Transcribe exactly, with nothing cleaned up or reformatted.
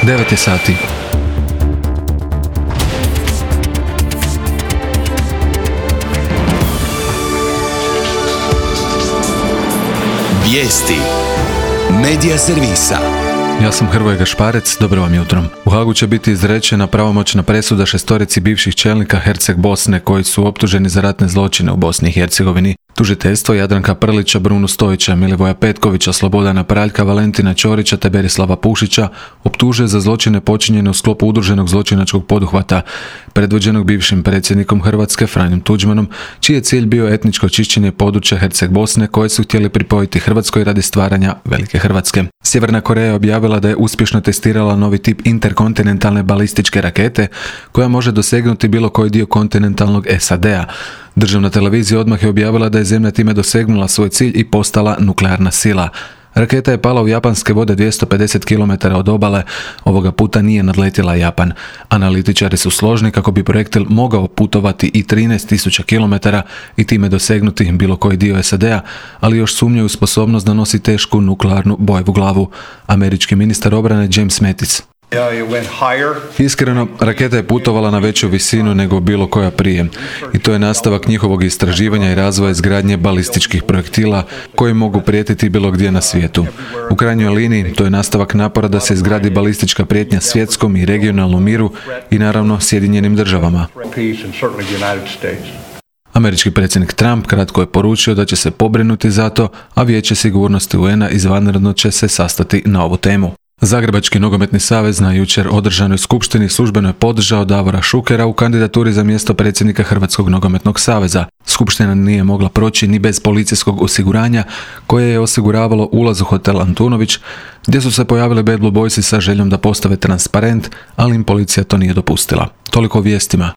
devet je sati. Vijesti Medija servisa. Ja sam Hrvoje Gašparec, dobro vam jutro. U Hagu će biti izrečena pravomoćna presuda šestorici bivših čelnika Herceg Bosne koji su optuženi za ratne zločine u Bosni i Hercegovini. Tužiteljstvo Jadranka Prlića, Brunu Stojića, Milivoja Petkovića, Slobodana Praljka, Valentina Ćorića te Berislava Pušića optužuje za zločine počinjene u sklopu udruženog zločinačkog poduhvata predvođenog bivšim predsjednikom Hrvatske Franjom Tuđmanom, čiji je cilj bio etničko čišćenje područja Herceg Bosne koje su htjeli pripojiti Hrvatskoj radi stvaranja Velike Hrvatske. Sjeverna Koreja je objavila da je uspješno testirala novi tip interkontinentalne balističke rakete koja može dosegnuti bilo koji dio kontinentalnog S A D-a. Državna televizija odmah je objavila da je zemlja time dosegnula svoj cilj i postala nuklearna sila. Raketa je pala u japanske vode dvjesto pedeset kilometara od obale, ovoga puta nije nadletjela Japan. Analitičari su složni kako bi projektil mogao putovati i trinaest tisuća kilometara i time dosegnuti bilo koji dio S A D-a, ali još sumnjaju u sposobnost da nosi tešku nuklearnu bojevu glavu. Američki ministar obrane James Mattis. Iskreno, raketa je putovala na veću visinu nego bilo koja prije i to je nastavak njihovog istraživanja i razvoja izgradnje balističkih projektila koji mogu prijetiti bilo gdje na svijetu. U krajnjoj liniji to je nastavak napora da se izgradi balistička prijetnja svjetskom i regionalnom miru i naravno Sjedinjenim državama. Američki predsjednik Trump kratko je poručio da će se pobrinuti za to, a Vijeće sigurnosti U N-a izvanredno će se sastati na ovu temu. Zagrebački nogometni savez na jučer održanoj skupštini službeno je podržao Davora Šukera u kandidaturi za mjesto predsjednika Hrvatskog nogometnog saveza. Skupština nije mogla proći ni bez policijskog osiguranja koje je osiguravalo ulaz u hotel Antunović, gdje su se pojavili Bad Blue Boysi sa željom da postave transparent, ali im policija to nije dopustila. Toliko o vijestima.